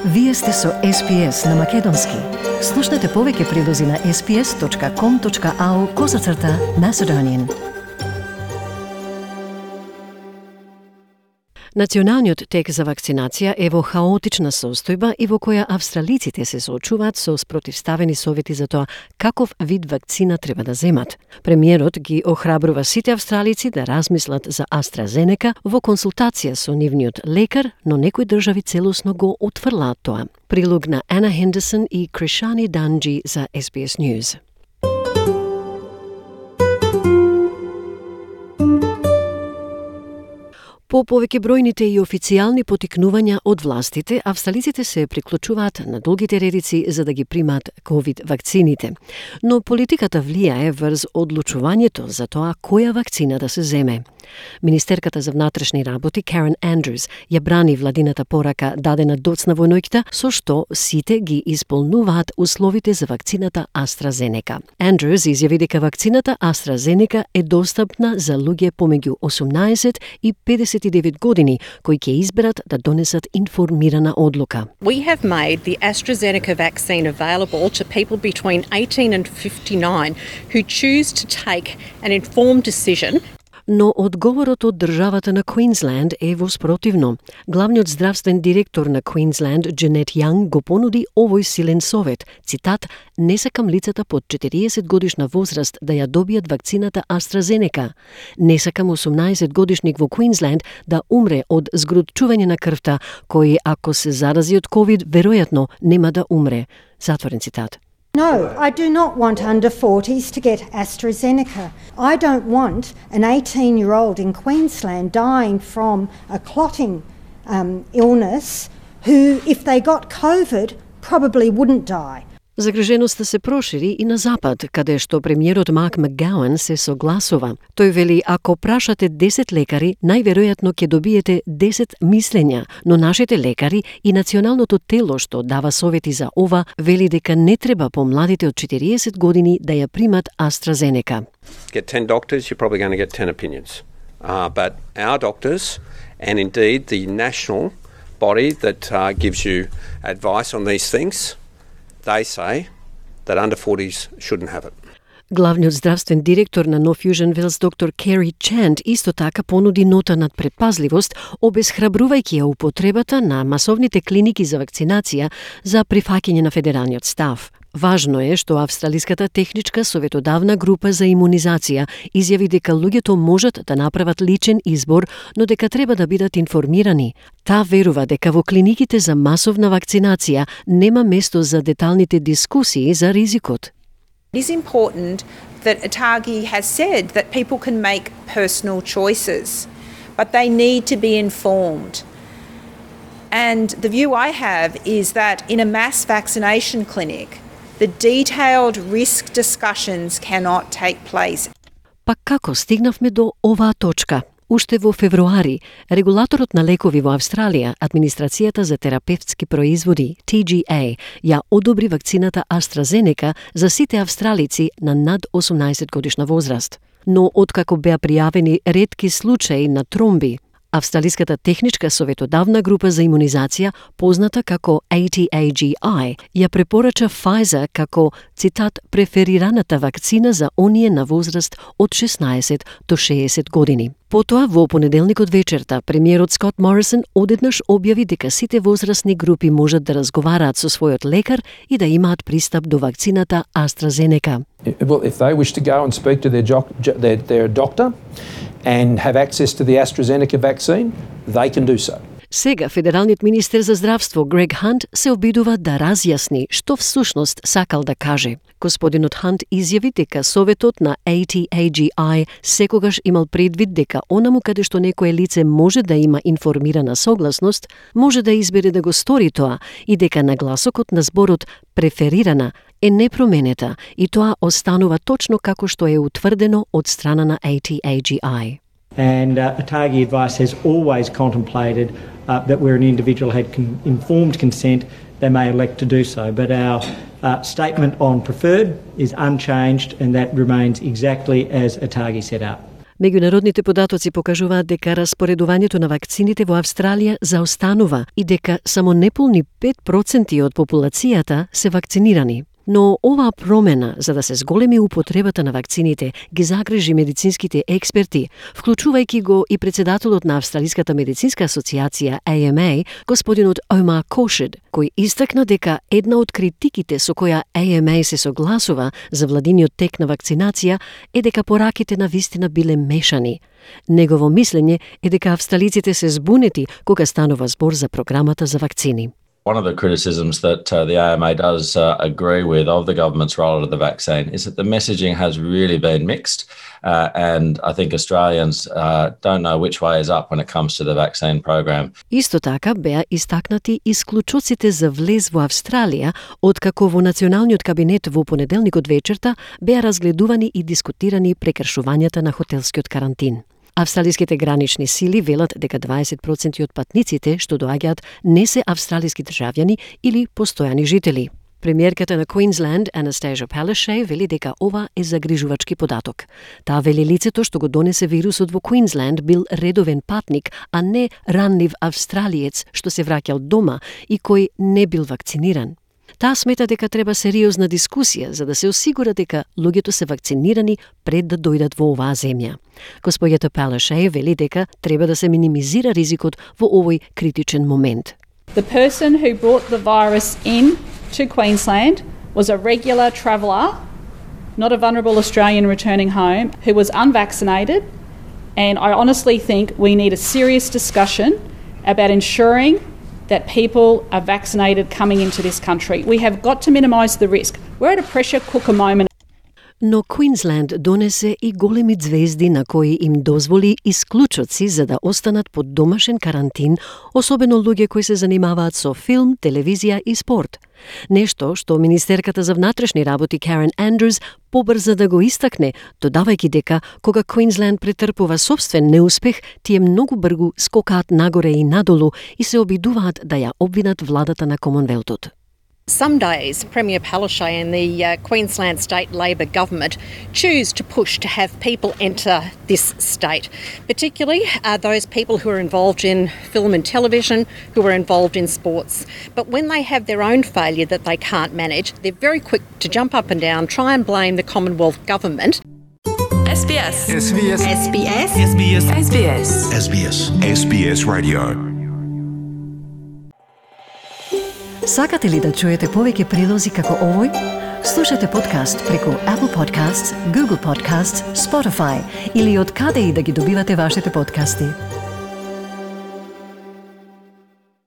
Вие сте со SPS на Македонски. Слушнете повеќе прилози на sps.com.au/Macedonian. Националниот тек за вакцинација е во хаотична состојба и во која австралиците се соочуваат со спротивставени совети за тоа каков вид вакцина треба да земат. Премиерот ги охрабрува сите австралици да размислат за AstraZeneca во консултација со нивниот лекар, но некои држави целосно го отфрлаат тоа. Прилог на Ана Хендерсон и Кришани Данджи за SBS News. По повеќе бројните и официјални потикнувања од властите, австралиците се приклучуваат на долгите редици за да ги примат ковид вакцините. Но политиката влијае врз одлучувањето за тоа која вакцина да се земе. Министерката за внатрешни работи Карен Андрюс ја брани владината порака дадена доцна во ноќта, со што сите ги исполнуваат условите за вакцината AstraZeneca. Андрюс изјави дека вакцината AstraZeneca е достапна за луѓе помеѓу 18 и 59 години кои ќе изберат да донесат информирана одлука. We have made the AstraZeneca vaccine available to people between 18 and 59 who choose to take an informed decision. Но одговорот од државата на Квинсленд е воспротивно. Главниот здравствен директор на Квинсленд, Дженет Јанг, го понуди овој силен совет. Цитат: "Не сакам лицата под 40 годишна возраст да ја добијат вакцината AstraZeneca. Не сакам 18 годишник во Квинсленд да умре од згрутчување на крвта, кој ако се зарази од COVID, веројатно нема да умре." Затворен цитат. No, I do not want under 40s to get AstraZeneca. I don't want an 18-year-old in Queensland dying from a clotting illness who, if they got COVID, probably wouldn't die. Загриженоста се прошири и на запад, каде што премиерот Марк Макгауан се согласува. Тој вели, ако прашате 10 лекари, најверојатно ќе добиете 10 мислења, но нашите лекари и националното тело што дава совети за ова, вели дека не треба помладите од 40 години да ја примат AstraZeneca. Get 10 doctors, you're probably going to get 10 opinions. But our doctors, and indeed the national body that gives you advice on these things, they say that under 40s shouldn't have it. Главниот здравствен директор на North Fusion Wells, доктор Кери Чент, исто така понуди нота над предпазливост, обесхрабрувајќи ја употребата на масовните клиники за вакцинација за прифаќање на федералниот став. Важно е што Австралиската техничка советодавна група за имунизација изјави дека луѓето можат да направат личен избор, но дека треба да бидат информирани. Та верува дека во клиниките за масовна вакцинација нема место за деталните дискусии за ризикот. It is important that ATAGI has said that people can make personal choices, but they need to be informed. And the view I have is that in a mass vaccination clinic, the detailed risk discussions cannot take place. Па како стигнавме до оваа точка? Уште во февруари, регулаторот на лекови во Австралија, Администрацијата за терапевтски производи, TGA, ја одобри вакцината AstraZeneca за сите австралици на над 18 годишна возраст. Но откако беа пријавени ретки случаи на тромби, Австралиската техничка советодавна група за имунизација, позната како ATAGI, ја препорача Pfizer како, цитат, преферираната вакцина за оние на возраст од 16 до 60 години. Потоа, во понеделникот вечерта, премиерот Скот Морисон одеднаш објави дека сите возрастни групи можат да разговараат со својот лекар и да имаат пристап до вакцината AstraZeneca. Well, if they wish to go and speak to their doctor and have access to the AstraZeneca vaccine, they can do so. Сега федералниот министер за здравство Грег Хант се обидува да разјасни што всушност сакал да каже. Господинот Хант изјави дека советот на ATAGI секогаш имал предвид дека онаму каде што некое лице може да има информирана согласност, може да избере да го стори тоа и дека нагласокот на зборот преферирана е непроменета и тоа останува точно како што е утврдено од страна на ATAGI. And ATAGI advice has always contemplated that where an individual had informed consent, they may elect to do so. But our statement on preferred is unchanged and that remains exactly as ATAGI set out. Меѓународните податоци покажуваат дека распоредувањето на вакцините во Австралија заостанува и дека само неполни 5% од популацијата се вакцинирани. Но оваа промена, за да се зголеми употребата на вакцините, ги загрижи медицинските експерти, вклучувајќи го и председателот на Австралиската медицинска асоциација AMA, господинот Omar Khorshid, кој истакна дека една од критиките со која AMA се согласува за владиниот тек на вакцинација е дека пораките на вистина биле мешани. Негово мислење е дека австралиците се збунети кога станува збор за програмата за вакцини. One of the criticisms that the AMA does agree with of the government's roll of the vaccine is that the messaging has really been mixed, and I think Australians don't know which way is up when it comes to the vaccine program. Исто така беа истакнати исклучоците за влез во Австралија, откако во Националниот кабинет во понеделникот вечерта беа разгледувани и дискутирани прекршувањата на хотелскиот карантин. Австралиските гранични сили велат дека 20% од патниците што доаѓаат не се австралиски државјани или постојани жители. Премиерката на Queensland, Anastasia Palaszczuk, вели дека ова е загрижувачки податок. Таа вели лицето што го донесе вирусот во Queensland бил редовен патник, а не ранлив австралиец што се враќал дома и кој не бил вакциниран. Таа смета дека треба сериозна дискусија за да се осигура дека луѓето се вакцинирани пред да дојдат во оваа земја. Господјата Palaszczuk вели дека треба да се минимизира ризикот во овој критичен момент. The person who brought the virus in to Queensland was a regular traveller, not a vulnerable Australian returning home, who was unvaccinated, and I honestly think we need a serious discussion about ensuring that people are vaccinated coming into this country. We have got to minimise the risk. We're at a pressure cooker moment. Но Квинсленд донесе и големи звезди на кои им дозволи исклучоци за да останат под домашен карантин, особено луѓе кои се занимаваат со филм, телевизија и спорт. Нешто што министерката за внатрешни работи Карен Андрус побрза да го истакне, додавајќи дека кога Квинсленд претрпува собствен неуспех, тие многу бргу скокаат нагоре и надолу и се обидуваат да ја обвинат владата на Комонвелтот. Some days, Premier Palaszczuk and the Queensland State Labor government choose to push to have people enter this state, particularly those people who are involved in film and television, who are involved in sports. But when they have their own failure that they can't manage, they're very quick to jump up and down, try and blame the Commonwealth government. SBS. SBS. SBS. SBS. SBS. SBS. SBS Radio. Сакате ли да чуете повеќе прилози како овој? Слушате подкаст преку Apple Podcasts, Google Podcasts, Spotify или од каде и да ги добивате вашите подкасти.